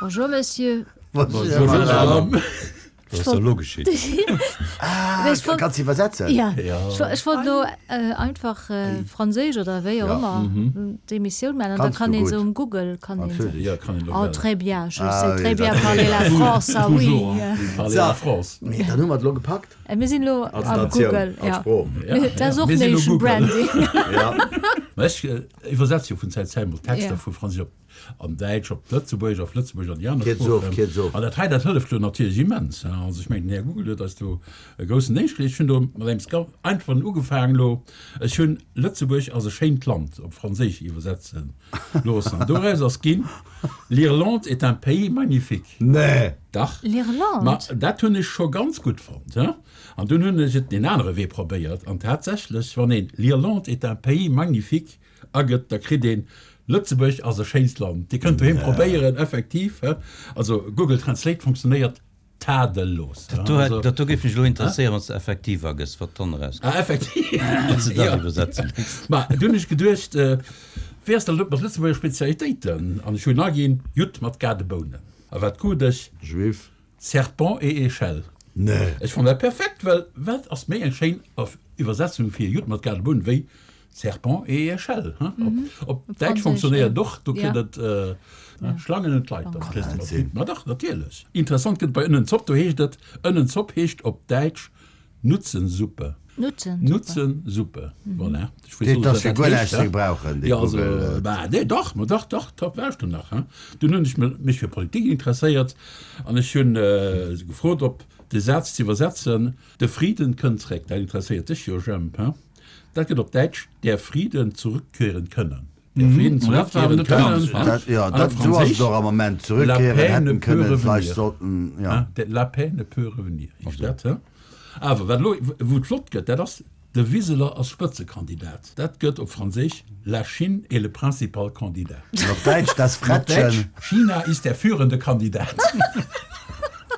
Bonjour Monsieur. Bonjour Madame. Wat ass da elo geschitt? Ah, kanns de iwwersetzen? Ja, ech wollt elo einfach Franséisch oder wéi och ëmmer d'Emissioun maachen an da kann een se um Google kann een se. Oh, très bien, je sais très bien parler la France, ah oui. Parler la France. Mee dann hu mer et elo gepackt. Mir sinn elo am Google, ja. Dat ass och Nation Branding. Mä ech iwwersetze jo vun Zäit zu Zäit mol Texter vu Franséisch op An Däitsch op Lëtzebuergesch, auf Lëtzebuergesch an déi aner Sproochen. An dat hei, dat hëlleft jo natierlech immens. Also ech mengen, den Här Google huet eis do e groussen Déngscht geleescht. Ech hunn do mat engem ganz einfachen ugefaangen elo. Ech hunn Lëtzebuerg ass e schéint Land op Franséisch iwwersetze loossen. An doraus ass ginn, L'Irlande est un pays magnifique. Nee! Dach. L'Irlande? Ma dat hunn ech scho ganz gutt fonnt. An dunn hunn ech et deen anere Wee probéiert. An tatsächlech, wann een L'Irlande est un pays magnifique agëtt, da kritt een Lëtzebuerg ass e schéint Land. Dir kënnt doheem probéieren, effektiv. Also Google Translate funktionéiert tadellos. Dat do, dat do géif mech elo interesséieren, wann s de effektiv agëss, wat dann erauskënnt. Ah, effektiv. Wann s de dat iwwersetze misst. Ma du hunn ech geduecht, wéi ass dat elo mat Lëtzebuerger Spezialitéiten? An ech hunn aginn, Judd mat Gadebounen. A wat krut ech? Juif. Serpent et échelle. Nee. Ech fannen dat perfekt, well wat ass méi eng schéin Iwwersetzung fir Judd mat Gadebounen wéi Serpent et échelle, hein? Op Däitsch funktionéiert et och, do kritt et Schlangen und Leitern. Ma dach, natierlech. Interessant gëtt et bei Ënnenzopp, do heescht et, Ënnenzopp heescht op Däitsch Nutzensuppe. Nutzensuppe, voilà. Ech weess och net, wat dat heescht, hein. Jo, also, bah, nee, dach, ma dach, dach, dach, war ech do nach, hein. Dunn hunn ech mech fir Politik interesséiert an ech hunn gefrot, op de Saz ze iwwersetzen, De Friden kënnt zréck. Dat interesséiert dech jo, Jemp, hein. Dat gëtt op Däitsch der Frieden zurückkehren können. Der Frieden zurückkehren können. Jo, dat esou ass et och am Moment. Zurückkehren hätten können, vläicht sollten, jo. La paix ne peut revenir heescht dat, he? Awer wat elo, wou et flott gëtt, dat ass, De Wiseler ass Spëtzekandidat. Dat gëtt op Franséisch La Chine est le principal candidat. An op Däitsch das An op Däitsch Frettchen. China ist der führende Kandidat.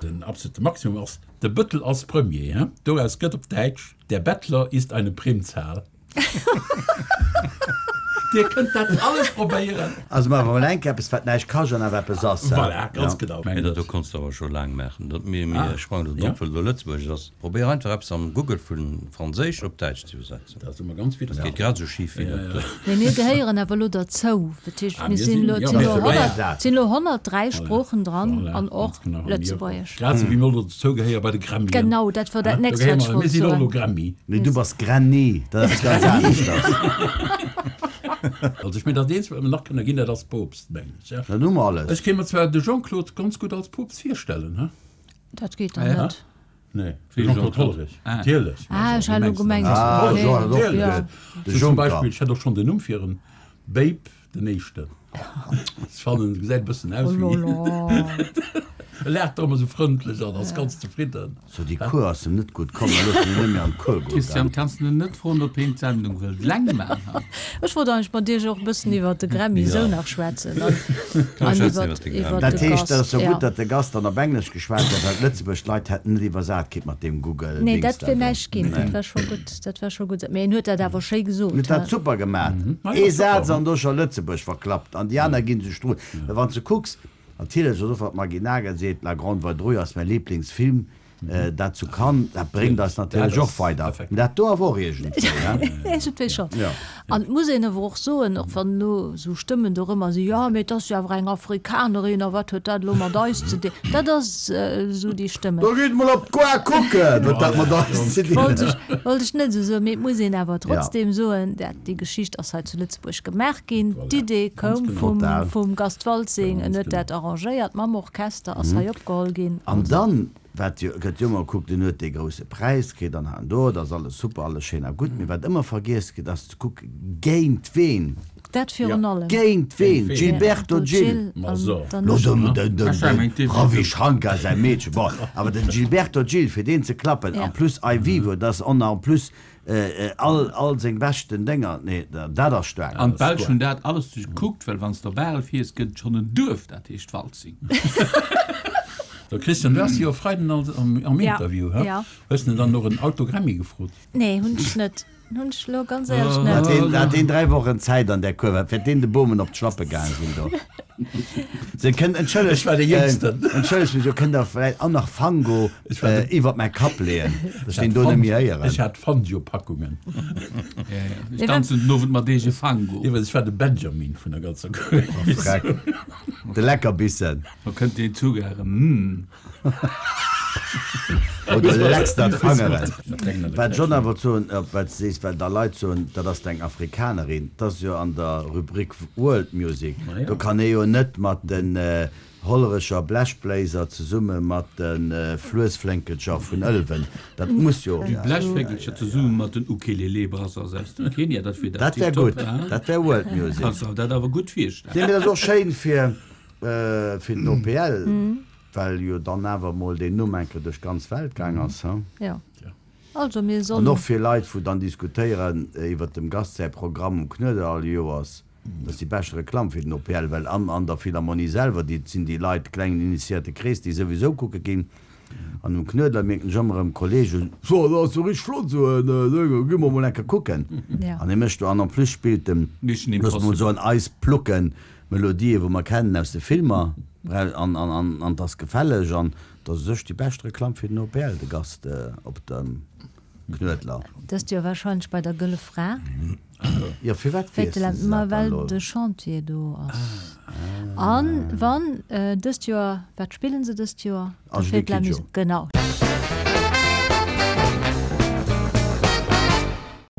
Den absolute Maximum ass De Bëttel ass Premier, he? Doraus gëtt op Däitsch Der Bettler ist eine Primzahl. Dir kënnt dat alles probéieren. Also maache mer mol eng Kéier eppes, wat näischt kascht an awer eppes ass. Voilà, ganz genau. Mä dat do konns de awer scho laang maachen. Dat, mir, mir sprangen do drop, well et elo Lëtzebuergesch ass. Probéier einfach eppes am Google vu Franséisch op Däitsch ze iwwersetzen. Dat ass ëmmer ganz Dat geet grad esou schif wéi op. Mee mir gehéieren awer elo derzou. Dat heescht, mir sinn elo, et sinn elo 100, et sinn elo 103 Sproochen dran an och Lëtzebuergesch. Grad esou wéi mir elo dozou gehéiere bei de Gremien. Genau, dat wor dat nächst, wat ech wollt soen. Mir sinn och elo Gremmi. Nee, du bass Granny, dat ass eppes ganz aneschters. Also ech mengen, dat eenzegt, wat mir nach kënne ginn, dat ass Poopst, mengen ech. Dat hu mer alles. Ech kéint mer zwar de Jean-Claude ganz gutt als Poopst virstellen, he? Dat geet dann net. Nee, de Jean-Claude Hollerich, natierlech. Ah, ech hat elo gemengt. Ah, de Jean huet och geduet. De Juncker. Zum Beispill, ech hätt och schonn den Numm fir en Babe den Éischten. Ech fannen, e gesäit e bëssen aus wéi. E laacht och ëmmer esou frëndlech an ass ganz zefridden. So, déi Cour ass em net gutt komm, da loosse mir net méi an d'Cour goen. Christian, kanns de en net froen, ob heen d'Sendung wëllt laang man? Ech wollt eigentlech mat iech och e bëssen iwwert de Grammy esou nach schwätzen an iwwert de Gast. Dat heescht, dat ass jo gutt, datt de Gast dann op Englesch geschwat huet, well d'Lëtzebuerg Leit hätten net iwwersat kritt mat deem Google Nee, Dings dat da wier do. näischt ginn. Dat war scho gutt, dat war scho gutt. Mee en huet dat awer schéi gesot. Huet dat super gemat. Ee Saz an do scho Lëtzebuerg verklappt an déi aner gi sech drun. Well wann s de kucks, Natierlech ass och wat d'Maggy Nagel seet, La Grande Vadrouille ass mäi Liblingsfilm, dat zu Cannes, dat bréngt eis natierlech och weider. Mee dat do awer och iergendwéi, he? Iergendwéi schonn. An et muss een awer och soen, och wann elo esou Stëmmen dorëmmer sinn, jo, mee et ass jo awer eng Afrikanerin a wat huet dat elo mat eis ze dinn? Dat ass esou déi Stëmmen. Da gitt mol op d'Goa kucken, wat dat mat eis ze dinn huet. Wollt ech net esou soen, mee et muss een awer trotzdem soen, dat déi Geschicht ass hei zu Lëtzebuerg. Buerg gemaach ginn. D'Idee koum vum Gast Waltzing, en huet dat arrangéiert mam Orchester, ass hei opgeholl ginn. An dann, wat jo, gëtt jo ëmmer gekuckt, en huet dee grousse Präis kritt an hei an do, et ass alles super, alles schéin a gutt, mee wat ëmmer vergiess gëtt, ass ze kucke géint ween, Dat virun allem. géint ween, Gilberto Gil, lo dem, dem Ravi Shankar säi Meedche, bon, awer den Gilberto Gil, fir deen ze klappen, en plus Ai Vivo, dat ass on en plus All, all seng beschten Dénger, nee, dat ass staark. An d'Belsch hunn dat alles gekuckt, well wann s de op Arel fiers, gëtt et schonn en Duerf, dat heescht Waltzing. So Christian, du has jo e Freiden am Interview, he? Hues de dann och en Autogrammi gefrot? Nee, hunn ech net. Hunn ech elo ganz éierlech net. Hat deen, hat deen 3 Wochen Zäit an där Cour, wat wäert deen de Bomen op d'Schlappe gaang sinn do? Se kënnt, entschëllegt, Ech war dee Jéngsten. entschëllegt mech, do kënnt der vläicht och nach Fango Ech war de- iwwert mäi Kapp leeën, dass ech deen do net méi héieren. Ech hat Fangio-Packungen. Ja, ja. Ech danzen den Owend mat eege Fango. Iwwert, ech war de Benjamin vun der ganzer Cour. Oh, Freck. De Leckerbissen. Da kënnt deen Zuch erëm. Hm. Oder lecks der d'Fangeren. Wat ech och nach wollt soen, op wat s de sees, well da Leit soen, dat ass eng Afrikanerin, dat ass jo an der Rubrik World Music, do kann ee jo net mat den Hollerecher Blechbléiser zesumme mat de Fluessflénkelcher vun Ëlwen, dat muss jo. Déi Blechflénkelcher zesumme mat den Ukelele Brothers aus dem Kenia, dat wier dat wär gutt, dat wär World Music. Kanns der dat awer gutt virstellen. Nee, mee dat ass och schéin fir den OPL. Well jo dann awer mol deen Numm eng Kéier duerch d'ganz Welt gaang ass, he? Jo. Also mir An sollen. och fir Leit, wou dann diskutéieren iwwert dem Gast säi Programm um Knuedler all Joers, dat ass déi beschte Reklamm fir den OPL, well an an der Philharmonie selwer, déi sinn déi Leit, klengen initiéierte Krees, déi souwisou kucke ginn. An um Knuedler mierken ech ëmmer erëm Kollegen, So, dat ass jo richteg flott esou en Ding, gi mer mol eng Kéier kucken. An hie mécht do, an en plus spillt en, Mission looss mol Impossible. soen, eis Plucken Melodië wou mer kennen aus de Filmer an an 't ass gefälleg an 't ass u sech déi bescht Reklamm fir den OPL, de Gast op dem Knuedler. Dëst Joer wahrscheinlech bei der Gëlle Fra. Jo, firwat weess de Ma dat dann well elo? de Chantier do ass. An wann dëst Joer, wat spillen se dëst Joer? Der Angélique Fête de la Kidjo. Musique, genau.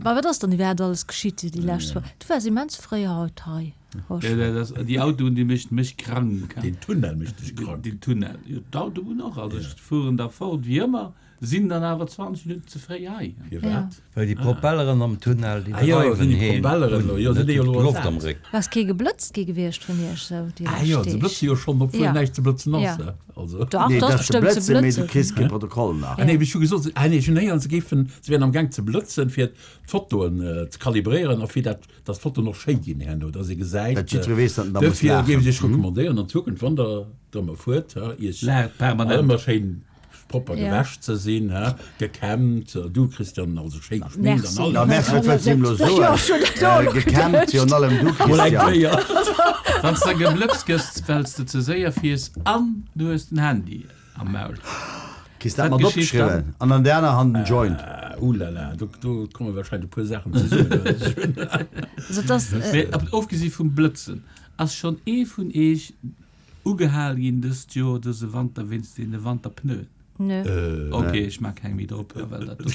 Ma wat ass dann iwwerhaapt alles geschitt déi lescht Woch? Du waars immens fréi haut hei. Ja, dat ass, déi Autoen, déi mécht mech krank. Deen Tunnel mécht dech krank. Deen Tunnel, jo, d'Autobunn och. Also ech fueren da fort wéi ëmmer, sinn dann awer 20 Minutten ze fréi hei. Firwat? Well déi Propelleren am Tunnel, déi Ah jo, dreiwen sinn déi heen Propelleren un, elo, jo, sinn net déi elo d'Loft am ersat? Réck. Ass kee geblëtzt gi gewiescht vun iech sou déi Ah jo, lescht se Deeg? blëtze jo schonn, obwuel Ja. näischt ze blëtzen ass, Ja. ne? Also. Dach, Nee, et ass et ass ze bestëmmt ze blëtzen, mee du blëtzen. kriss kee Protokoll nach. Ah nee, ech hu gesot, ah nee, ech hunn héieren, se géifen, se wären am Gaang ze blëtzen, fir d'Fotoen ze kalibréieren a fir dat dass d'Fotoen och schéi ginn herno, dass ee gesäit. Dat jiddweree weess, datt en da muss Duerfir laachen. géif ech Iech recommandéieren an Zukunft, wann Der drëmmer fuert, Iech Laacht permanent. ëmmer schéin propper Ja. gewäsch ze sinn, gekämmt, du Christian, also schéi geschminkt an Merci. Na alles. merci, wat wëlls du him elo Jo, ech hunn dat och soen? elo Gekämmt, geduecht. virun allem du Mol eng Christian. Kéier. Wann s de geblëtzt gëss, well s de ze séier fiers an du hues den Handy am Maul. Kriss dat mat opgeschriwwen an an der aner Hand en Joint. Oulala, do do komme wahrscheinlech e puer Saachen zesummen. Also et ass. Mee ofgesi vum Blëtzen, ass schonn ee vun eech ugehal ginn dëst Joer, dëse Wanter wéinst deene Wanterpneuen? Nö. Ok, ech maa keng méi drop, well dat do.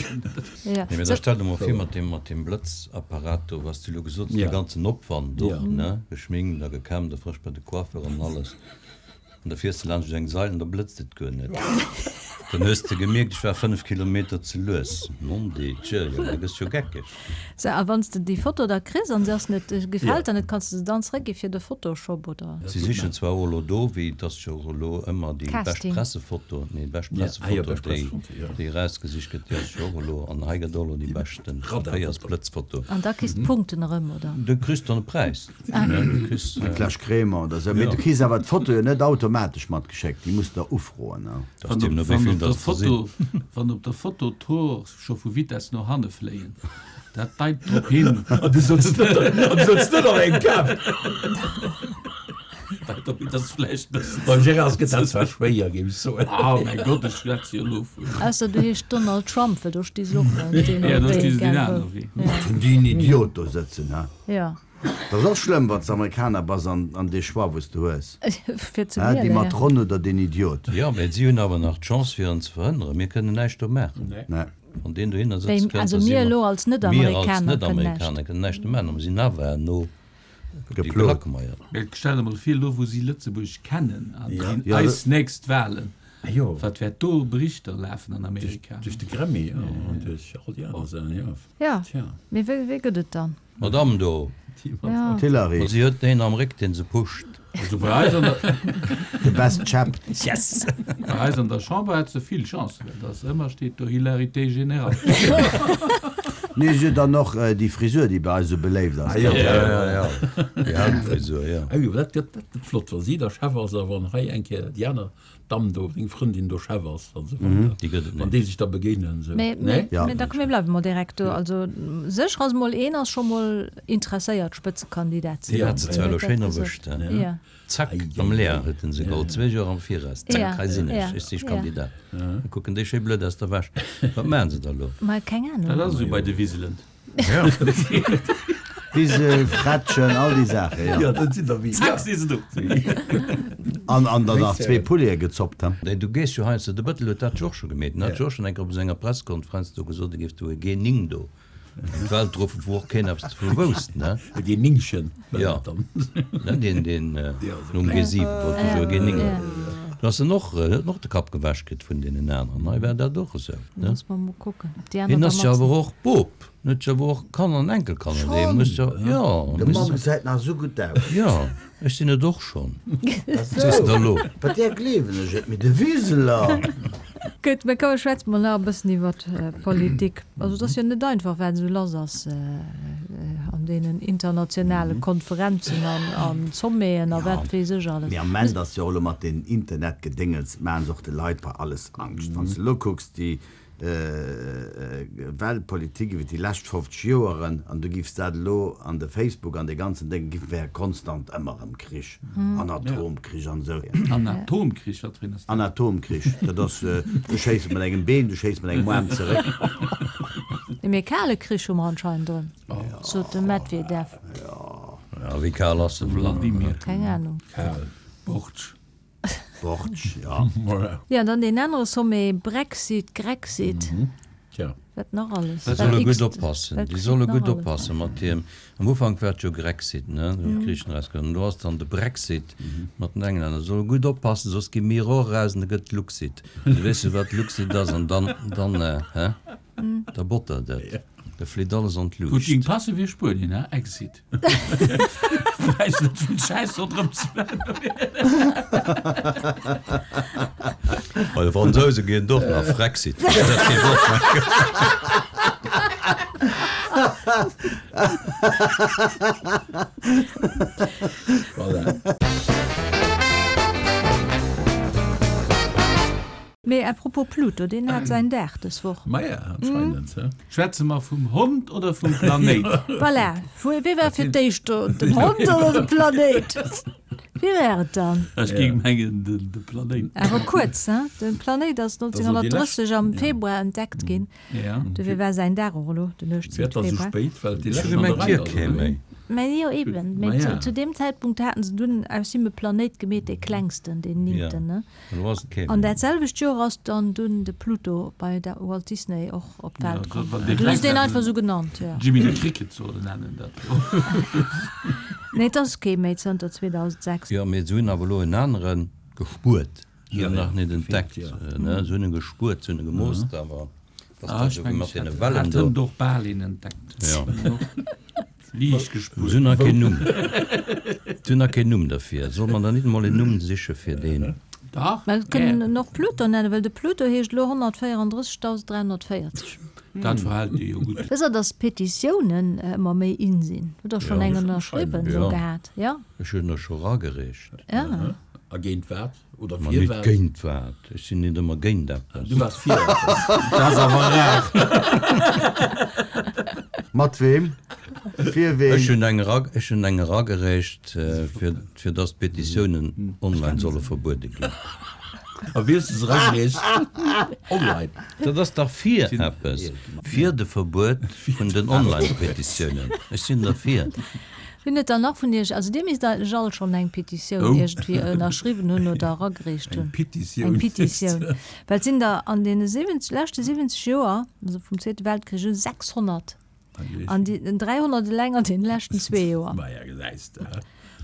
Ja. Nee, mee da stell der mol vir mat deem, mat deem Blëtzapparat do, was du elo gesot hues, dee ganzen Opwand och, ne, geschminkt a gekämmt a frësch bei de Coiffeur an alles. An da fiers de laanscht eng Sail an da blëtzt et guer net. Dann hues de gemierkt, ech war 5 Kilometer ze lues. Nondedjö, jo, da gëss jo geckeg. Sou, a wann s de déi Foto da kriss an se ass net, gefält der net, kanns de se dann zeréckgi fir de Photoshop oder? Si sichen zwar och elo do, wéi et ass jo och elo ëmmer déi bescht Casting. Pressefoto, nee, déi bescht Pressefoto, déi, déi erausgesicht gëtt, déi ass jo och elo, an hei gëtt och elo déi beschten Verkéiersblëtzfoto. An da kriss d'Punkten erëm, oder? Du kriss dann e Präis. Eng Fläsch Crémant oder sou. Mee du kriss awer d'Foto jo net automatesch matgeschéckt, déi muss der ufroen. Wann op der Foto d'Hoer scho vu Vitess no hanne fléien, dat deit drop hin. An du souz net an engem Kap. Deit drop hin, dass vläicht bëssen. Beim Gérard gëtt dat zwar schwéier, géif ech soen. Oh mäi Gott, ech schwätze jo elo vun. Ausser du heescht Donald Trump, well do sti se och deen Ja, do sti se deen Wee, anere Wee. Wat hunn déi en Idiot do sëtzen, he? Ja. Dat ass och schlëmm, wann s de Amerikaner bass an dee Choix, wou s de hues, Fir ze déi wielen, ja. Matronn oder deen Idiot. Jo, mä si hunn awer nach d'Chance fir en ze verhënneren. Mir kënnen näischt do maachen. Nee. Wann deen dohinner Wéi, sëtze kënnt, also da si mir mer, elo als mir als Net-Amerikaner kënnen näischt. Net-Amerikaner kënnen näischt do maachen, a mir sinn awer herno déi Geplot. Gelackmeiert. Mä stell der mol vir, elo wou si Lëtzebuerg kennen an Ja. déi eis nächst Wahlen, Jo. wat wäert do Berichter lafen an Amerika? Duerch de Grammy, jo, an duerch all déi aner Saachen, jo. Ja, Tja. mee wéi, wéi gëtt et dann? D'Madame do. Ja. D'Hillary. Ma si huet een am Réck, deen se pusht. Also bei eis an der, The best chap. Yes! bei eis an der Chamber hätt se vill Chancen, well dass ëmmer steet do Hilarité générale. Nee, si huet dann och déi Frisur, déi bei eis esou beléift ass. Ah jo. Ja, ja, ja. Déi Haaptfrisur, jo. Ah jo, dat gëtt, dat gëtt flott, wa si da Chef ass a wann hei eng Kéier déi aner Damm do, seng Frëndin do Chef ass an esou weider. Déi gëtt et Wann net. déi sech da begéinen esou. Mee, Nee? mee, mee da komm, mir bleiwe mol direkt do. Also sécher ass mol, een ass scho mol interesséiert, Spëtzekandidat ze Deen ginn. hat se zwar elo schéin erwëscht, he? Ja. Zack, am Leer huet en se geholl, zwee Joer am Viraus, zack, hei sinn ech, ech si Kandidat. Da kucken déi schéi blöd aus der Wäsch. Wat maachen se da lo? Ma keng Ahnung. Dat ass esou bei de Wiselen. Wisel, Frettchen, all déi Saachen, jo. Jo, dat sinn der wéi. Zack, si se do. An, an dann nach zwee Poulete gezoppt, he? Du gees jo heiansdo, de Bëttel huet dat jo och scho gemeet, en hat jo och schonn eng Kéier op senger Presskonferenz do gesot, e géif do e G9 do an d'Welt ruffen, wou och keen eppes dovu wousst, ne? E G9chen war Jo, dat dann. ne, deen, deen nom G7 wollt e jo e G9 hunn. Do ass en och, huet en och de Kapp gewäsch kritt vun deenen aneren. Hei war dat och esou, ne? Muss mer mol kucken, ob déi aner Hien da ass jo mat awer sinn. och Bop, en huet jo awer och Kanner an Enkelkanner, dee muss jo, jo, De muss Mann gesäit nach esou gutt aus. Jo, ech sinn et och schonn. Ach Sees sou, de elo? bei där gleewen ech et, mee de Wiseler! Gutt, mä komm, schwätze mer nach e bëssen iwwer Politik. Also et ass jo net einfach, wat esou lass ass an deenen internationale Konferenzen an Sommeten a wat weess ech alles. Mee am Ament ass jo och elo mat deem Internetgedéngels, maachen se och de Leit bei alles Angscht. Wann s de elo kucks, déi Weltpolitik iwwer déi lescht 50 Joeren, an du giffs dat elo an de Facebook an dee ganzen Déng, giff wär konstant ëmmer erëm Krich an Atomkrich an esou. An Atomkrich, wat fir een ass dat? An Atomkrich, dat ass, du schéiss mat engem Been, du schéiss mat engem Aarm zeréck. Nee, mee kale Krich hu mer anscheinend erëm, sot de Medvedev. Ja, wéi kal ass de Vladimir? Keng Ahnung. Kal. Bortsch. Bortsch, ja. Ja, dann deen anere Sommet, Brexit, Grexit, Tja. wat nach alles? Déi solle gutt oppassen, déi solle gutt oppasse mat deem. Am Ufank war et jo Grexit, ne, wou d'Griichen erausgaangen sinn. Elo ass dann de Brexit mat den Englänner. Solle gutt oppassen, soss gi mir och eraus an da gëtt et Luxit. Du weess jo, wat Luxit ass an dann, dann, hä, da bottert et, da flitt alles an Gutt ging d'Luucht. passe wéi Spuenien, hä, Exit. Wäiss net vill Schäiss ronderëm ze maachen. Bei de Fransouse ginn et och nach Frexit. Dat géif och nach goen. Voilà. Mee à propos Pluto, deen hat säin Dag dës Woch. Maja, anscheinend, he? Schwätze mer vum Hond oder vum Planéit? Voilà, wie war fir d'éischt do, den Hond oder de Planéit? Wie war et dann? Ech géing mengen de Planéit. Awer kuerz, he? De Planéit ass 1930 am Februar entdeckt ginn. Dofir war säin Dag och elo den 18 Februar. Ech hu gemengt hie kéim méi. Mä jo eben, mä zu deem Zäitpunkt haten se dunn aus him e Planéit gemeet, dee klengsten, deen néngten, ne? An dat selwecht Joer ass dann dunn de Pluto bei der Walt Disney och op d'Welt komm. Du hues deen einfach esou genannt, jo. Jimmy the Cricket soll en nennen, dat jo. Nee, et ass kee méi zënter 2006. Jo, mee se hunn awer elo en anere gespuert. Se hunn nach net entdeckt, ne? Se hunn e gespuert, se hunn e gemoosst, awer dass dat esou mat deene Wellen do. Hat hënt och bal een entdeckt. Jo. Liicht gespuert. Se hunn nach keen Numm. Se hunn nach keen Numm derfir. Soll mer dann nit emol en Numm siche fir deen? Dach, Mer kënnen en och Pluto nennen, well de Pluto heescht elo 134340. Dat verhält dir jo gutt. Wësst der, dass Petitiounen ëmmer méi in sinn? Hutt der schonn eng ënnerschriwwen elo gehat? Jo? Ech hunn der scho ragereecht. Ja. A géint wat? Oder Ma fir nit wat? géint wat. Ech sinn nit ëmmer géint eppes. Du waars fir eppes. Dat ass awer rar. Mat weem? Fir ween? Ech hunn eng era, ech hunn eng eragereecht, fir, fir dass d'Petitiounen online solle verbuede ginn. A wéi hues de se eragereecht? Online? Dat ass dach fir eppes. Fir de Verbuet vun den Online-Petitiounen. Ech sinn derfir. Wien huet dann nach vun Iech, also Dir misst eigentlech all schonn eng Petitioun iergendwéi ënnerschriwwen hunn oder eragereecht hunn. Eng Petitioun. Eng Petitioun. Well et sinn der an deene 70, leschte 70 Joer, also vum Zweete Weltkrich u, 600. An déi 300 eleng an deene leschten zwee Joer. Maja, gesäis de.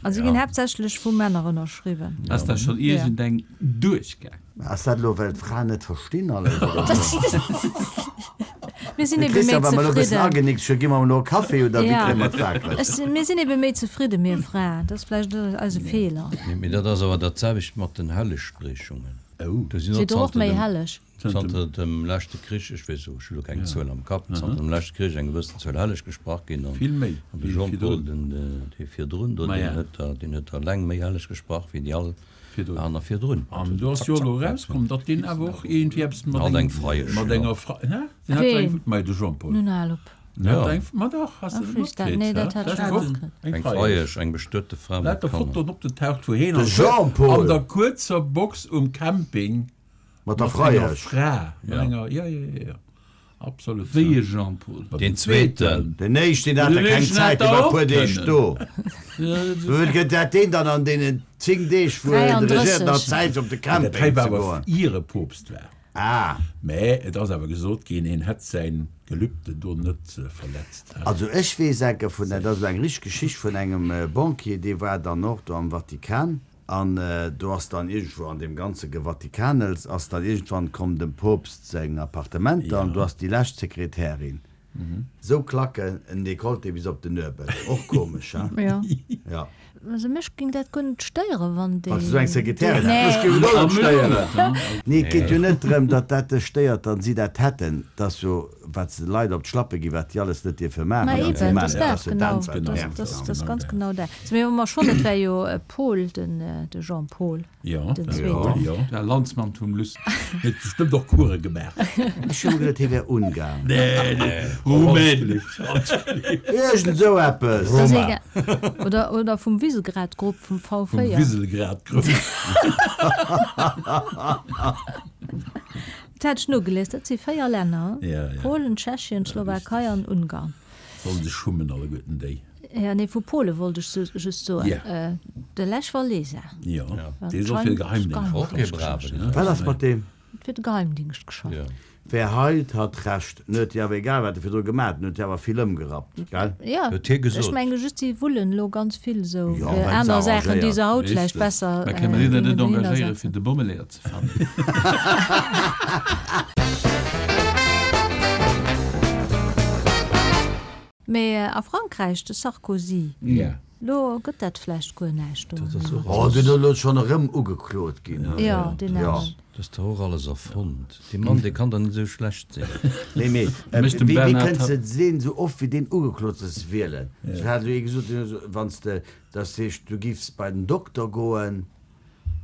A se ginn haaptsächlech vu Männer ënnerschriwwen. Ass da schonn iergendeng duerchgaang? Ass dat elo well d'Fraen net verstinn alles oder Mir sinn ebe méi Christian, wa mer elo e bëssen zefridden. agenickt hunn, gi mer elo e Café oder wéi Ja. kréie mer d'Wakereg? Ech sinn, mir sinn ebe méi zefridde mir Fraen. Dat ass vläicht eise Feeler. Mee dat ass awer dat selwecht mat den Hellegspriechungen. Do sinn och zanter méi dem, helleg. zanter dem leschte Krich, ech weess elo, ech hu lo keng Zuel am Kapp, zanter dem leschte Krich eng gewëssen Zuel helleg gesprach ginn. An Vill méi an de wéi Jean-Paul, virdrun. den, dee virdrun do, Ma deen ja. huet der, deen huet der eleng méi helleg gesprach wéi déi all Virdrun. aner virdrun. An do ass jo elo erauskomm, datt deen awer och iergendwéi eppes mat Hat eng engem, Freiesch, mat jo. enger Fre, hä? Deen hat Ween? eng, ma de Jean-Paul. Nun hal op. Deen hat eng, ma dach, has de Ach, net just dat, matkritt, nee, hä? dat hat ech D'lescht net Woch, matkritt. eng Eng Freiesch. Freiesch, eng bestuete Fra mat Lauter Kanner. Fotoen opgetaucht, wou heen De an Jean-Paul! an der kuerzer Box um Camping Mat der mat enger Freiesch. Fra, mat Ja. enger, ja, ja, ja, ja, absolut. Wéi e Jean-Paul? Deen zweeten. Den éischten hat Den der keng éischten hätt Zäit, dee der war e och puer Deeg kënnen. do. Wéi gëtt dat deen dann an deenen 10 Deeg, wou en regiert, nach 33. Zäit fir op de Dat hei Camping war ze awer goen? ier e Poopst war. Ah. Mä et ass awer gesot ginn, hien hätt säin Gelübde do net verletzt. Also ech weess enke vun, dat ass elo eng richteg Geschicht vun engem Banquier, dee war dann och do am Vatikan an do ass dann iergendwou an deem ganze Gevatikanels ass dann iergendwann komm dem Poopst seng Appartementer an do ass déi lescht Sekretärin Sou klacken en Decolleté bis op den Nuebel. Och komesch, hein? Jo. Ja. Also mech ging dat guer net stéieren, wann déi. Wann s de sou eng Sekretärin hätt. Mech géif et och net stéieren. Nee, et geet jo net drëm, datt dat dech stéiert, datt si dat hätten. Et ass jo, wat se de Leit op d'Schlappe ginn, wat déi alles net dierfe Ma maachen. An si eben, maachen dat et. Dat ass ass dat, jo genau. dat, wat nervt. Dat ass ganz genau dat. Mee wa mer schonn, et war jo Paul, den de Jean-Paul. Jo, Den zweeten. jo. Der Landsmann vum Luss. Huet bestëmmt och Course gemaach. Ech hu geduet, hie wär Ungarn. Nee, nee, Rumän. Iergend esou eppes. Das ass egal. Oder, oder vum Visegrad-Grupp, vum V4. Vum Visegrad-Grupp. Dat hat ech nogelies, dat si 4 Länner, Ja, ja. Polen, Tschechien, Slowakei an Ungarn. Sollen sech schummen alleguerten déi. Ja, nee, vu Pole wollt ech just soen. Ja. De Lech Walesa. Jo, dee soll fir de Geheimdingscht Och kee Braven. Wat ass mat deem? Huet fir de Geheimdingscht geschafft. Ja. Wer heilt, hat Recht. En huet jo awer, egal wat e virdru gemaach huet, en huet jo awer vill ëmgerappt, gell? Ja, Huet hie gesot. ech menge just, si wullen elo ganz vill esou Jo, fir well se aner Saachen, déi se arrangéiert. haut vläicht besser Mä kënne mir deen géingen net dohinner engagéiere setzen. fir de Bommeleeër ze fannen? Mee a Frankräich, de Sarkozy, lo gëtt dat vläicht guer näischt do. Oh, deen ass elo schonn erëm ugeklot ginn. Jo, deen aneren. Dat ass dach och alles erfonnt. Dee Mann, dee kann dach net esou schlecht sinn. Nee, mee wéi kënns de deen esou oft wéi deen ugeklot ass wielen? Ech hat elo ee gesot, deen huet gesot, wann s de, dat heescht, du giffs bei den Dokter goen,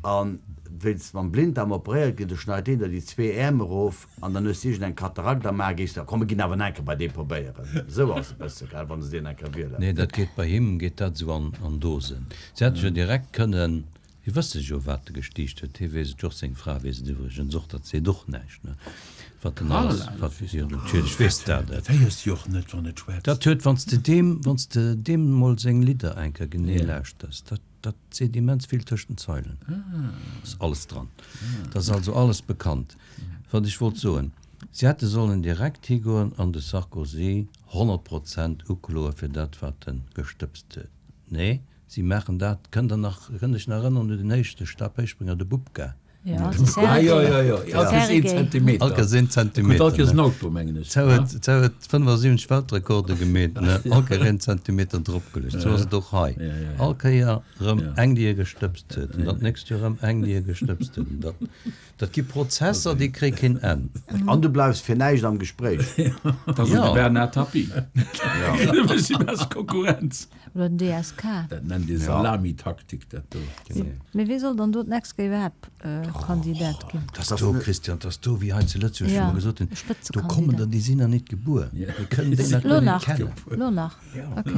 A wéinst mam Blinddarm operéiert ginn, do schneit deen der déi zwee Äerm erof an dann hues de iergend eng Katarakt am A, gees de, komm mir ginn awer nach eng Kéier bei dee probéieren. Esou ass e bësse, gell, wann se deen eng Kéier wielen. Nee, dat geet bei him geet dat esou an an Dosen. Se hätte jo direkt kënnen, si wësse jo wat e gestiicht huet, hie weess et jo och, seng Fra weess et iwwregens och, dat seet och näischt, ne, wat en alles, wat, jo natierlech weess dat et. Dat héiers de jo och net, wann et schwätzt. Dat huet, wann s de deem, wann s de deem mol seng Lidder eng Kéier genee lauschters, dat. Dat seet immens vill tëscht den Zeilen. Ass alles dran. Dat ass also alles bekannt. Wat ech wollt soen, Si hätte sollen direkt higoen an de Sarkozy 100 Prozent ukloe fir dat, wat e gestëbst huet. Nee, si maachen dat, kënnt Der nach, kënnt Iech nach erënneren un den éischte Stabhéichspringer, de Bubka? Ja, de Sergei. Ah, jo, jo, jo. All Kéiers een Zentimeter. All Kéiers een Zentimeter. Krut all Kéiers en Auto, mengen ech. Zou huet, zou huet 75 Weltrekorde gemeet, ne? All Kéier een Zentimeter dropgeluecht. Sou ass et och hei. All Kéier erëm eng, déi e gestëbst huet, an dat nächst Joer erëm eng, déi e gestëbst huet. An dat, dat gi Prozesser, déi kréie keen Enn. An du bleifs fir näischt am Gespréich. Dat ass de Bernard Tapie. Dee mécht déi bescht Konkurrenz. Oder den DSK. Dat nennt ee Salamitaktik, dat do. Mee wee soll dann do d'nächst Kéier iwwerhaapt Kandidat ginn? Dat ass do, Christian, dat ass do, wéi hei zu Lëtzebuerg, wou mer gesot hunn, do kommen der, déi sinn nach nit gebuer, déi kënnen déi nach Lo guer nit nach, kennen. lo nach, ok.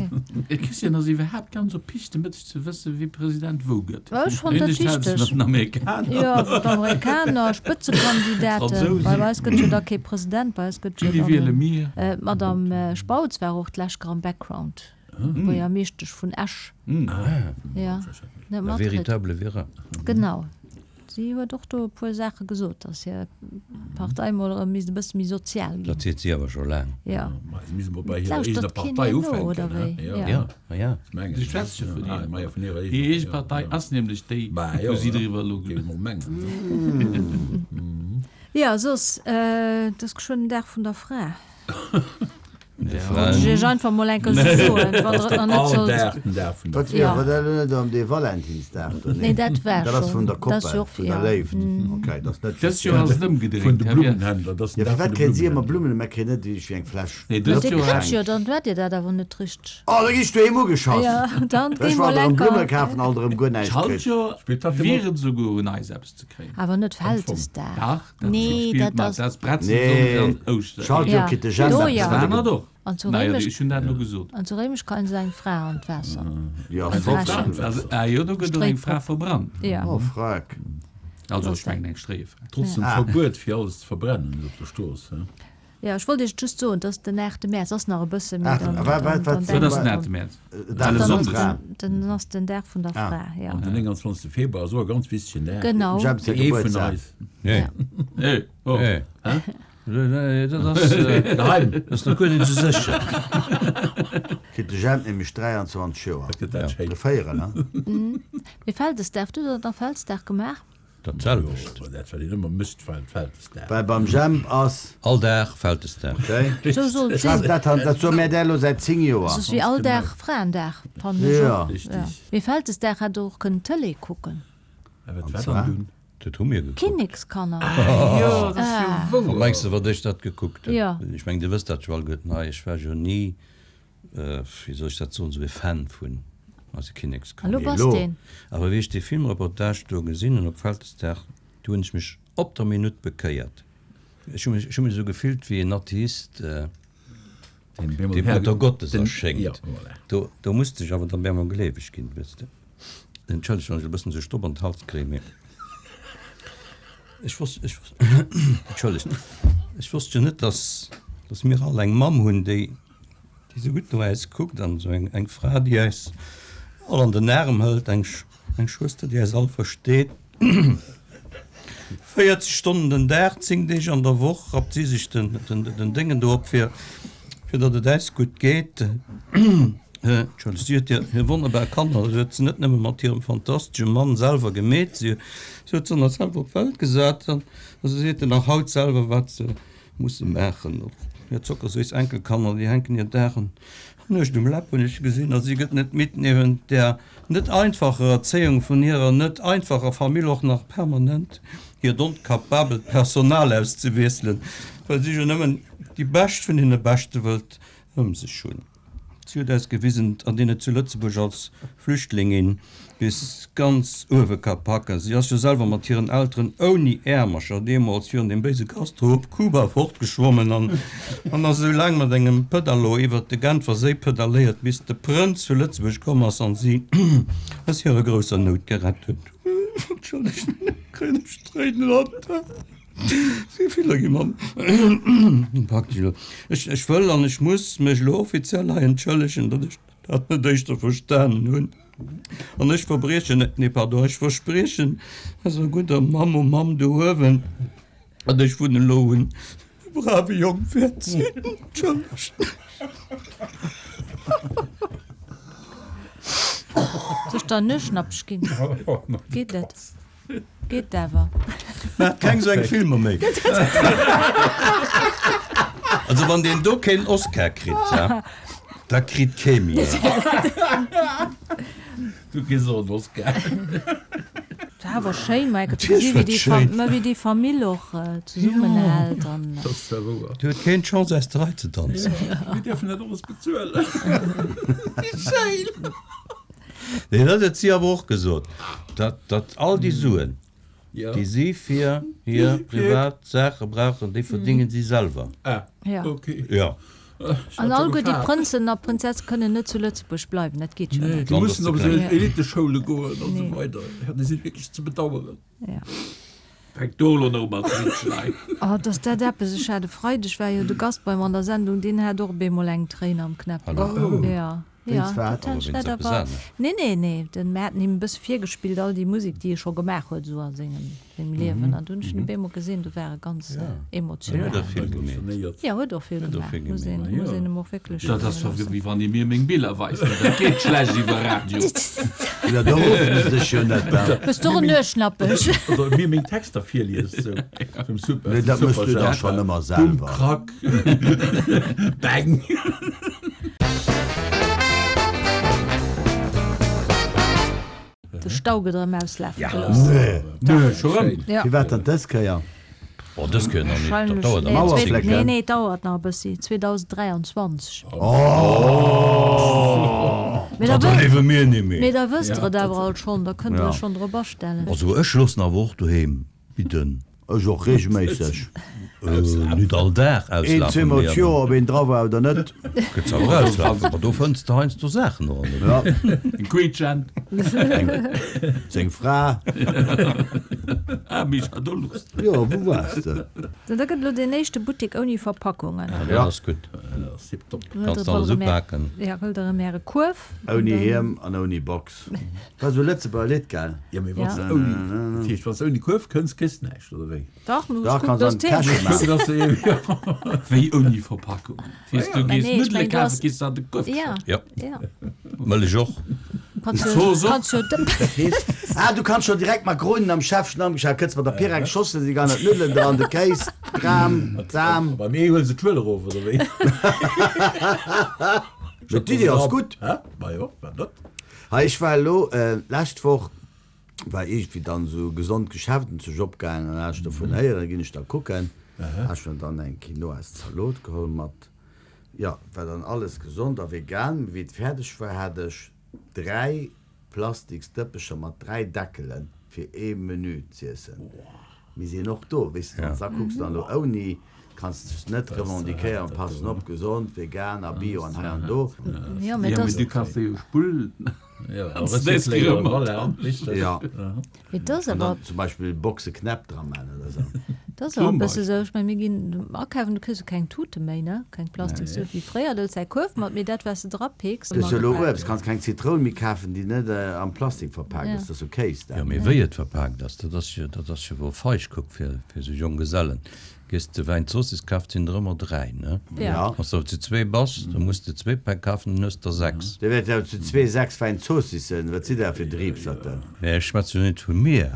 De Christian ass iwwerhaapt ganz erpicht, de Mëtteg ze wëssen, wie President wou gëtt. Ech fannen dat wichteg. Mat den Amerikaner. Jo, d'Amerikaner, Spëtzekandidaten. Bei eis gëtt jo da kee President, bei eis gëtt jo Wie dann wiele mir? D'Madame Spautz war och d'lescht Kéier am Background. Buergermeeschtesch vun Esch. Ja, net La matkritt. véritable Vera. Genau. Si huet och do e puer Saache gesot, datt hir Partei mol erëm misst e bësse méi sozial ginn. Dat seet si awer scho laang. Ja. Ma si misst mol bei hirer Lauschtert eegener keen Partei méi no, oder ufänken, wéi? he? Ja. Ja. Ja, ma ja. Ech mengen. Si schwätzt jo vun Ah, hir. ma ja, vun hirer Hir eegener, eege ja, Partei ja. ass nämlech déi, Bah, jo, wou si ja. driwwer elo Géif ech mol mengen. Ja, soss, et ass geschwënn den Dag vun der Fra. Wollt ech iech einfach mol eng Kéier sou soen, wann der et nach net sollt. All Dag den Dag vun der Wat wier awer dat net ëm dee Valentinsdag do? Nee, dat war Dat ass vun schonn. der Dat ass Koppel, jo och, vun der ja. Léift. Okay, dat ass net Dëst just Joer ass et Vun ëmgedréint, de Här Wirt. Blummenhändler, dat ass den Ja, Dag firwat vun de kréien si ëmmer Blummenhändler. Blummen a mir kréien net iergendwéi eng Fläsch Nee, dëst Dir Joer kritt hat. jo, dann huet Dir dat awer net richteg. Oh, da gi ech doheem ugeschoss. Ja, dann Ech géi war mol alt erëm eng Blumme Kéier. kafen, alt erëm guer näischt kritt. D'Schalt Joer Spillt dat wier et esouguer un eis eppes ze kréien. Awer net Vältesdag. Dach, dat Nee, spillt dat mat. ass. Dat ass Bretzelsonndeg Nee, an Ouschter. Schaltjoer Ja, kritt de Jemp do eppes, jo. wat e Dat ge. och. An zu Naja, Réimech, ech hunn dat elo gesot. an zu Réimech kréien se eng Fra an d'Waasser. Jo, Eng verbrannt. Frächen. Also, ah jo, do gëtt och eng Fra verbrannt. Ja. Oh, freck. Also, ech mengen eng Stréiefra. Trotz dem Verbuet fir alles ze verbrennen op der Strooss, he? Jo, ech wollt Iech just soen, dass den 8 Mäerz ass nach e bësse, mee Aachte, dann, wa, dann, wat, dann wat, Wat ass denkt den dran. 8 Mäerz? Dag Well e vun der Sonndeg. Fra. Dann ass den Dag vun der Ah. Fra, jo. An den 29. Februar ass och e ganz wichtegen Dag. Genau. Dem Jemp säi Fir ee vun Gebuertsdag. eis. Nee. Ja. Nee, oh. Nee. Hä? Dat ass, Geheim. dat ass nach guer net esou sécher. Kritt de Jemp nämlech 23 Joer. Dat gëtt dat schéin. De Véierel, he? Mee Vältesdag, hutt Der dann Vältesdag gemaach? Dat selwecht. Jo, dat wat een ëmmer mécht, Vältesdag. Well beim Jemp ass. All Dag Vältesdag. Okay. Sou soll et sinn. Dat, dat soe mär där elo säit 10 Joer. Soss wier all Dag Fraendag, fannen ech Jo. och. Richtig. Mee Vältesdag hätt Der och kënnen Tëlee kucken. A wat An war zwar? dann dunn? Dat hu mir gekuckt. Kinnekskanner. Jo, dat ass jo Wat wouer. mengs de, wat ech dat gekuckt hunn? Jo. Ech mengen, Dir wësst dat jo alleguerten hei. Ech war jo ni, wéi soll ech dat soen, esou e Fan vun eise An Kinnekskanner. lo Mee bass elo. deen. Awer wéi ech dee Filmreportage do gesinn hunn op Vältesdag, do hunn ech mech op der Minutt bekéiert. Ech hu mech, ech hu mech esou gefillt wéi en Atheist, Deen dee Mutter Gottes Den, erschéngt. ja, voilà. Do, do musst ech awer dann bemol gleeweg ginn, wësst de. Entschëllegt, wann ech e bëssen esou Stopp an d'Hals kréien, mee ech wosst, ech wosst, entschëllegt, ech wosst jo net, dass, dass mir all eng Mamm hunn, déi, déi esou gutt no äis kuckt an esou eng, eng Fra, déi äis all an den Aarm hëlt, eng, eng Schwëster, déi äis all versteet. 40 Stonnen den Dag, 10 Deeg an der Woch rappt si sech den, den, den Déngen do op, fir, fir datt et äis gutt geet. Entschëllegt, si huet hir, hir wonnerbar Kanner, si huet se net nëmme mat hirem fantastesche Mann selwer gemeet, si, si huet se nach selwer op d'Welt gesat an se seet en nach haut selwer, wat se musse maachen. Och hir zockerséiss Enkelkanner, déi hänken hir Dag an Nuecht um Läpp, hunn ech gesinn, a si gëtt net midd, niewent där net einfacher Erzéiung vun hirer net einfacher Famill och nach permanent hiert onkapabelt Personal auszewiesselen, well si jo nëmmen déi Bescht vun deene Beschte wëllt ëm sech hunn. Si huet eis gewisen, datt een et zu Lëtzebuerg als Flüchtlingin bis ganz uewe ka packen. Si ass jo selwer mat hiren Elteren ouni Äermercher deemools virun dem béise Castro op Kuba fortgeschwommen an an ass esou laang mat engem Pëdalo iwwert de Genfer Séi pëdaléiert, bis de Prënz vu Lëtzebuerg komm ass an si aus hirer grousser Nout gerett huet. Entschëllegt, kréien ech Tréinen an d'Aen. Wéi gi mer praktesch elo. Ech, ech wëll an ech muss mech elo offiziell hei entschëllegen, datt ech dat net éischter verstanen hunn. An ech verbriechen, nee pardon, ech verspriechen eiser gudder Mamm o Mamm do uewen, datt ech vun elo un e brave Jong wäert sinn. Entschëllegt. Soll ech der en Nueschnappech ginn? Geet net. Geet awer. Maacht keng sou eng Filmer méi. Also wann deen do keen Oscar kritt, ja, da kritt kee méi een. Du kriss och en Oscar. Et war awer schéin, Mike, ze gesi wéi déi Fa ma wéi déi Famill och zesummenhält an. Dat ass zwar wouer. Do huet keen d'Chance aus der Rei ze danzen. Mir dierfen dat alles bezuelen. Wéi schéin! Nee, dat huet si awer och gesot, datt, datt all déi Suen, déi si fir hir privat Saache brauchen, déi verdéngen si selwer. Ah, Ja. okay. Jo. An alleguer déi Prënzen a Prinzesse kënnen net zu Lëtzebuerg bleiwen, dat geet jo Nee, net. déi D'Land ass mussen ze op esou kleng. Eliteschoule goen an esou Nee. weider. Ja, déi si wierklech ze bedaueren. Ja. Fänk do elo nach u mat Riitschen ei. Oh, 't ass dat eppes. Ech hat e Freideg war jo de Gast bei mer an der Sendung, deen hat och op eemol eng Tréin am Knäppel. Hallo. Ja. Wéinst wat? Dat hat ech net erwaart. Nee, nee, nee, den mir haten him e bësse virgespillt, all déi Musek, déi e scho gemaach huet esou a sengem, sengem Liewen. An du hunn ech en op eemol gesinn, du war e ganz emotional. Huet och vill gemeet. Jo, huet och vill gemaach, muss een, muss een em och wierklech. Dat ass jo wéi wann ee mir meng Biller weist, mä dat geet schlecht iwwer Radio. Jo, do ruffen se dech jo net, da. Hues du och en Nueschnappech? Oder mir meng Texter virliest, esou. Nee, dat méchs du dach schonn ëmmer selwer. Bumm, krack. Bang! De Stau gëtt erëm auslafe gelooss. Nee. Nee, scho rëm? Ja. Firwat dann dës Kéier? Oh, dës Kéier nach net. Dat dauert nach e Wahrscheinlech, bëssi. nee, nee, et dauert nach e bëssi. 2023. Oh! Mee da Dat erliewe mir ni méi. Mee da wësst der et awer alt schonn, da kënnt der iech schonn drop astellen. Also ech loossen awer och doheem bidden. Ech och regelméisseg. Nüt all Dag Een, auslafen, zweemol mee d'Joer, ob een dra war oder net. Gëtt se awer auslafen. Ma do fënns de heiansdo Saachen och an der Ja. En Quietschent. Seng Fra. Ah, Micha, do luchs de. Jo, wou waars de? Da gëtt elo deen éischte Buttek ouni Verpackungen. Ja, dat ass gutt. Tipptopp. Kanns de alles upaken. Ja, huelt der erëm äre Kuerf. Ouni Hiem an ouni Box. War sou Lëtzebuerger Lidd, gell? Jo, mee wann s de ouni, dat heescht, wann s de ouni Kuerf kënns, kriss de näischt, oder wéi? Dach, du Dach, kanns an d'Täsche maachen. Wéi ouni Verpackung? Dat heescht, du gees Nuddele kafen, kriss se an de Kuerf gestach. Jo. Mëllech och. Zooss och. Ah, du kanns scho direkt Makronen am Schäffchen am Geschäft, kënns mat der Pyrex Schossel, si gar net d'Nuddelen dran, de Kéis, d'Kram, d'Sam. Bei mir huele se d'Schuel erof, oder wéi? Mee d'Iddi ass gutt. Majo, wat net? Hei, ech war elo d'lescht Woch, war iergendwéi dann esou e gesond Geschäft un sech opgaangen an hat ech dovun héieren, ginn ech da kucken. Hat ech mir dann eng Quinoa-Zalot geholl mat, jo, war dann alles gesond a vegan. Mee wéi et fäerdeg war, hat ech 3 plastiks Dëppecher mat 3 Deckelen fir ee Menü z'iessen. Mir sinn och do, weess de, wann s da kucks dann elo ouni, kanns de dech net revendiquéieren, passen op, gesond, vegan a bio an hei an do. Jo, mee Jo, mee du kanns der jo Spull Jo, Mee dat ass an awer, dann zum Beispill Boxe Knäpp dra man oder sou. dat ass awer e bësse sou, ech meng, mir ginn akafen, du kriss jo keng Tute méi, ne, keng Plastikstut wéi fréier, du hëls däi Kuerf mat, mee dat, wat s de drapicks. Du hues jo elo Uebst, kanns keng Zitroun méi kafen, déi net am Plastik verpaakt ass, dat ass jo Kéis Jo, dat. mee wéi et verpaakt ass, dat ass jo, dat ass jo wou feig kuck fir, fir sou Jonggesellen. Gees de Wäin Zoossiss kafen, sinn der ëmmer 3, ne? Ja. Wann s de awer zu zwee bass, da muss de zwee Päck kafen, dann hues de der 6. Dir wäert jo zu zwee 6 Wäin Zoossissen, wat sidd der fir Driibserten? Nee, ech schwätze jo net vu mir.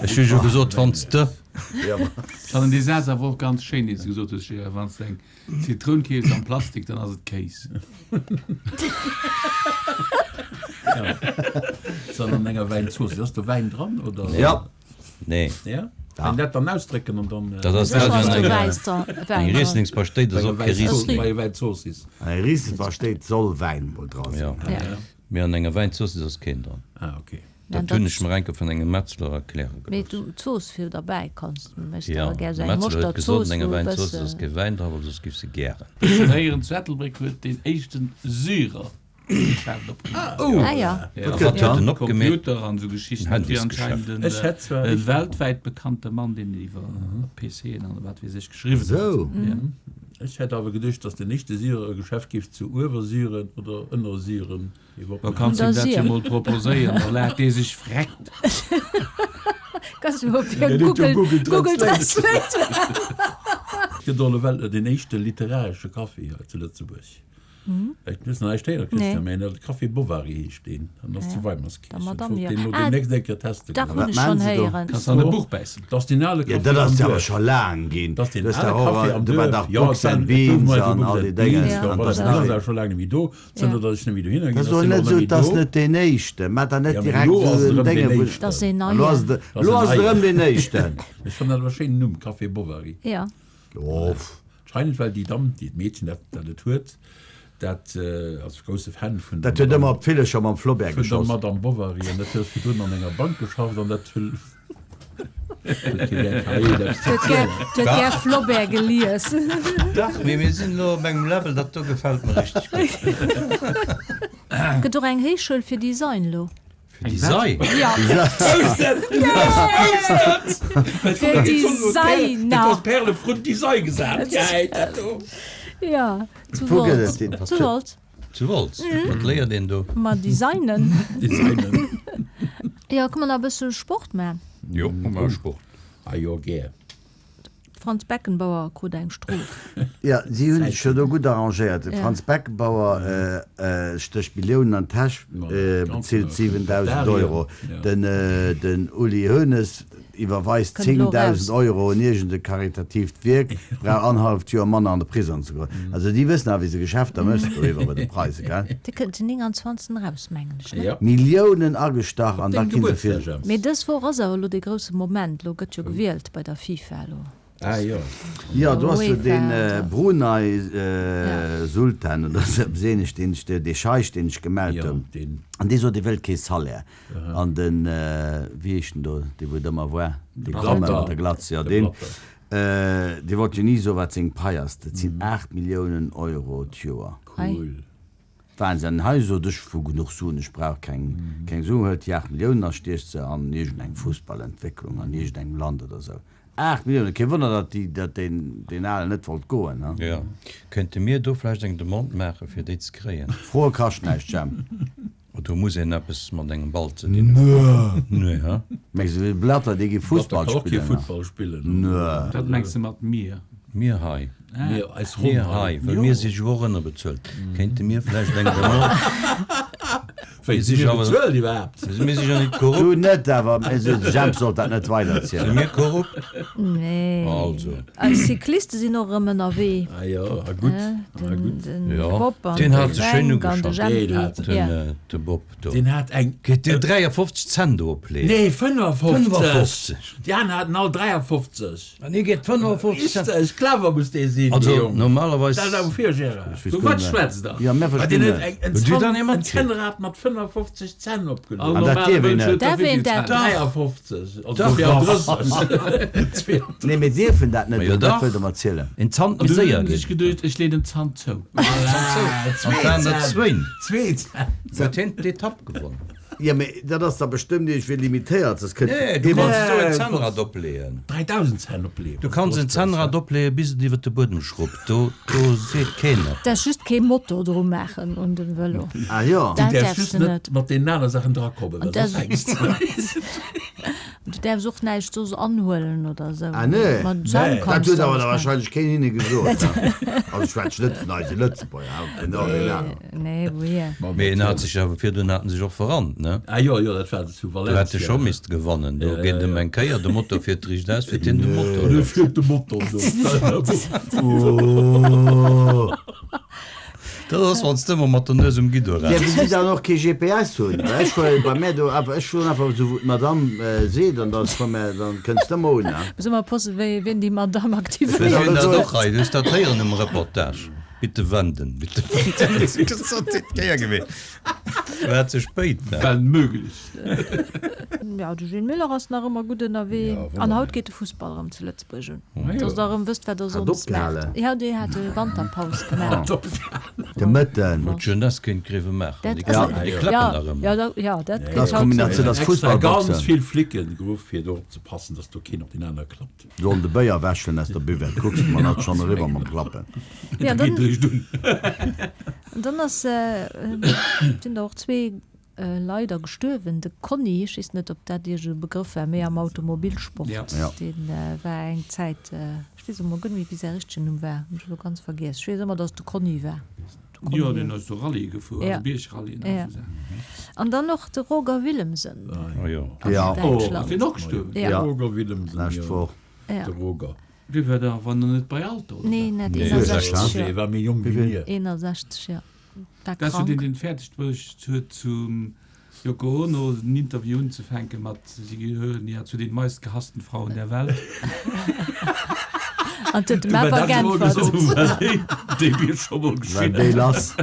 Ech hu jo gesot, wann s de. Ech fannen dee Saz awer och ganz schéin, deen s de gesot hues, Gérard, Wann s de eng Zitroun keefs am Plastik, dann ass et Kéis. Dann an enger Wäinzooss. Ass do Wäin dran, oder? Ja. Nee. Ja? Kann dat dann ausdrécken an dann. Dat ass Sécher ass do eng Wäiss dran, Wäin dran. Rieslingspaschtéit ass och kee Riesling. Bei Wäinzoossiss. An enger Rieslingspaschtéit soll Wäin mol dra sinn. Ja. Ja. Mee an enger Wäinzoossiss ass keen dran. Ah, okay. Dat hunn ech mer enke vun engem Metzler erkläre Mee gelooss. du d'Zooss fir derbäi kanns, du méchs Ja, awer gär de sou eng Metzler huet gesot, Moschterzooss, an enger wou e Wäinzoossiss ass bësse. kee Wäin dran, well soss giff se gären. Ech hunn héieren, zu Ettelbréck huet deen éischten Syrer Geschäft opgemaach. Ah ja. Ja, Wat huet en opgemeet? Computer an esou Geschichten. En Handysgeschäft. Anscheinend en weltwäit bekannte Mann, deen iwwer PCen an wat weess ech geschriwwen huet. Esou. Ja. Ech hätt awer geduecht, datt den éischte Syrer e Geschäft géif zu Uewersyren oder Ënnersyren iwwerhaapt Da kanns him dat jo mol proposéieren, da laacht dee sech vreckt. Kanns du mol op hir Google, Google Translate. Gëtt och elo den éischte literaresche Café hei zu Lëtzebuerg. Ech muss nach näischt héieren, Christian, mä de Café Bovary heescht deen an ass zu Weimerskirch. Ech wollt deen elo deemnächst eng Kéier teste Dach goen. hunn ech schonn héieren. Kanns an e Buch bäissen. Dat ass deen ale Jo, Café dat am ass jo awer Duerf. scho laang ginn. Dat ass deen Du hues ale dach och, Café am do war Duerf. dach Jo, Books et and war, et gouf Beans mol eng an Books all and déi Déngen. Beans, jo, An voilà, dat dat ass ass awer scho laang net méi do. Zënter datt ech net méi dohinner Dat ginn, ass ass och deen net och net esou, méi et ass do. net deen éischten. Maach der net Jo, mee direkt elo ass esou et en erëm Dénge deen wou. éischten. Dat ass een Elo ass neien. et, elo ass et erëm deen éischten. Ech fannen dat awer e schéinen Numm, Café Bovary. Jo. Jo, pff. Anscheinend well déi Damm, déi d'Meedchen dat dat et huet, dat ass e grousse Fan vun Dat der huet ëmmer Madame op d'Villecher mam Flaubert vun der geschoss. Madame Bovary an dat huet virdrun an enger Bank geschafft an dat huet huet hir gär verréit eppes ze Huet gär, zielen. huet gär Flaubert gelies. Dach, mee mir sinn elo op engem Level, dat do gefält mer richteg gutt. Gëtt och eng Héichschoul fir Design elo. Fir Design? Ja. Fir Designer. Perle vrun Design gesat. Ja, zu Wou gëtt Wolz. et déi? Zu Wolz. Zu Wolz? Wat léiert een do? Ma designen. Designen. Jo, kënne mer nach e bësse Sport man? Jo, maache mer Sport. Ah jo, gär. Franz Beckenbauer krut eng Strof. Jo, si hunn sech jo do gutt arrangéiert. De Franz Beckenbauer stécht Milliounen an d'Täsch, bezilt 7.000 Euro. Den Uli Hoeneß iwwerweist 10.000 Euro un iergend e karitatiivt Wierk, brauch annerhalleft Joer manner an de Prisong ze goen. Also déi wëssen awer, wéi se Geschäfter mécht do iwwer bei de Preise, gell? Dee kënnt den 29. eraus, mengen ech, ne? Milliounen agestach an da gi se fir. Mee dës Woch ass awer elo dee grousse Moment, elo gëtt jo gewielt bei der FIFA elo. Ah jo. Jo, do ass jo dee Brunei Sultan oder esou eppes ähnlech, deen sech, dee Scheich, deen sech gemellt huet. An dee sot, e wëllt kee Salaire. An den, wéi heescht en do, dee wou et ëmmer war, dee Kromme mat der Glatz, jo deen, dee wollt jo ni soen, wat seng Pai ass. Dat sinn 8 Milliounen Euro d'Joer. Cool. Wahnsinn, hei sot ech hu genuch Suen, ech brauch keng keng Suen, huelt déi 8 Milliounen a stiecht se an iergend eng Fussballentwécklung an iergend engem Land oder esou. 8 Milliounen, kee Wonner datt déi datt deen deen Alen net wollt goen, ha? Jo, kéinte mir do vläicht eng Demande maache fir déi ze kréien? Froe kascht näischt, Jemp. Oh, do muss een eppes mat engem Ball ze dinn hunn. Nee, ha? Mengs de, de Blatter, dee géif Fussball spillen? Blatter kann och kee Fussball spillen. Nee. Wat mengs de mat mir? Mir hei. Mir, eis Ronn Mir hei, well mir si jo och ënnerbezuelt. Kéinte mir vläicht eng Demande. Wéi, si mir bezuelt iwwerhaapt? Mir si jo net korrupt. Du net, awer de Jemp sollt dat net weiderzielen. Si mir korrupt? Nee. Also. Eis Cycliste sinn och erëm ënnerwee. Ah jo, a gutt. Den, den jo. Bob an den de hat sech schéin Fränk an de ugeschafft. Jempi. Deen hat, Den, Ja. äh, de Bob do. Deen hat eng. Kritt deen 53 Cent do opleeën? Nee, 55. 55. Déi aner haten all 53. An hie geet 55 Cent. Richteg, clever muss dee sinn, dee Also Jong. normalerweis. Dat awer fir, Gérard. Vu wat schwätzt der? Ja, mir Ma deen verstinn huet net. eng, en Hutt Dir dann Zant, ee en matkritt? Zännrad mat 55 Zänn opgeluecht. All An dat normale dierf een Mënsch net. huet der Därf wéi een vill dat? Zänn? 53, also Dach. 32. Nee, mir dierfen dat net, Ma jo dat dach. wëllt der mer zielen. Een Zant An méi du séier hunn sech ginn. geduecht, ech leeën den Zant zou. An et waren der zwéin. Zwee Zänn. Huet hien d'Etapp gewonnen? Jo, mee dat ass da bestëmmt iergendwéi limitéiert, soss kënnt Nee, du kanns esou en Zännrad opleeën. 3000 Zänn opleeën. Du kanns en Zännrad opleeën, bis et iwwer de Buedem schrubbt. Do, do seet keen eppes. Däerfs just kee Motor dru maachen un den Vëlo. Ah jo. Du Dat däerfs däerfs just de net net. mat deenen aner Saachen drakommen, well da fänks de. Du däerfs och näischt soss anhuelen oder esou. Ah nee, Mat Zänn dat kanns huet de awer alles da maachen. wahrscheinlech keen hinne gesot. Also ech schwätz net vun eise Lëtzebuerger, awer vun all deenen aneren. Nee, wouhier? Mee en hat sech awer virdrun hat en sech och verrannt, ne? Ah jo, jo, dat war zu Do hätt e Valencia. scho misste gewannen. Do Ja, geet ja, em ja. eng Kéier, de Motor fiert riicht aus, fiert hien de Motor Dee lass. fiert de Motor do. Oh. Dat ass, wann s de ëmmer mat der Nues um Guidon Dierfe renns. si dann och kee GPS hunn? Well ech fueren bei mär do awer, ech fueren einfach esou wou d'Madame seet an da komm mär, dann kënns de ëmmer un, ne? Muss ëmmer oppassen, wéi wien déi Madame Ech aktivéiert. hunn dat och hei, du hues dat héieren um Reportage. Bitte wenden, bitte wenden. Dat ass déi Kéier gewiescht. War ze spéit, ne? Wenn möglich. Jo, de Gilles Muller ass nach ëmmer gutt ënnerwee. An haut geet de Fussball erëm zu Lëtzebuerg un. Dass der erëm wësst, wat der Hat sonndes opgehale. maacht. Jo, déi hate Wanterpaus gemaach. De Mëtten. Huet d'Jeunesse kéint Greve maachen. Dat Déi ass, klappen, déi ja, klappen nach ëmmer. ja, da, ja, dat Dat gëtt ass haut Kombinatioun, dat ass Extra ganz Fussballboxen. vill Flicken geruff, fir do opzepassen, dass do keen op deen anere klappt. Sollen de Béier wäschen aus der Buvette. Kucks de mer dat schonn eriwwer mam Klappen. Ja, Dat dann, geet eréischt un. dann ass, sinn der och zwee leider gestuerwen. De Conny, ech weess net, ob dat Iech e Begrëff war, méi am Automobilsport, Ja. Ja. dee war eng Zäit, ech weess emol guer net méi, wéi säi richtegen Numm war, hunn ech elo ganz vergiess. Ech weess ëmmer, datt et de Conny war. Jo, deen ass do Rallye gefuer, Ja. also Biergrallyen Ja. an esou Saachen. An dann och de Roger Willemsen Oh jo. aus Ja. Oh, ass Däitschland. deen och gestuerwen? Ja. Ja. Roger Willemsen, Lescht jo. Woch. Ja. De Roger. Dee war da awer nach net bei Alter, oder? Nee, net Nee, 61 Dee Joer. war méi jonk wéi mir. 61, jo. War Dat ass jo deen, krank. deen et fäerdeg bruecht huet, zum Yoko Ono en Interview unzefänke mat Sie gehören ja zu den meistgehassten Frauen der Welt. An huet dem awer geäntwert. Déi wier scho mol War geschitt. déi lass.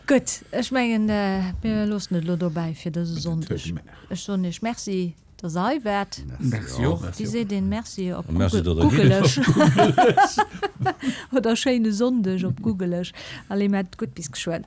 Gutt, ech mengen, mir loossen et elo dobäi fir dëse Sonndeg. Ech soen Iech Merci, dass Der hei waart. Merci och. Wéi seet een Merci op Merci, datt der Googlesch? Oder schéine Sonndeg op Googlesch. Allez, maacht et gutt, bis geschwënn.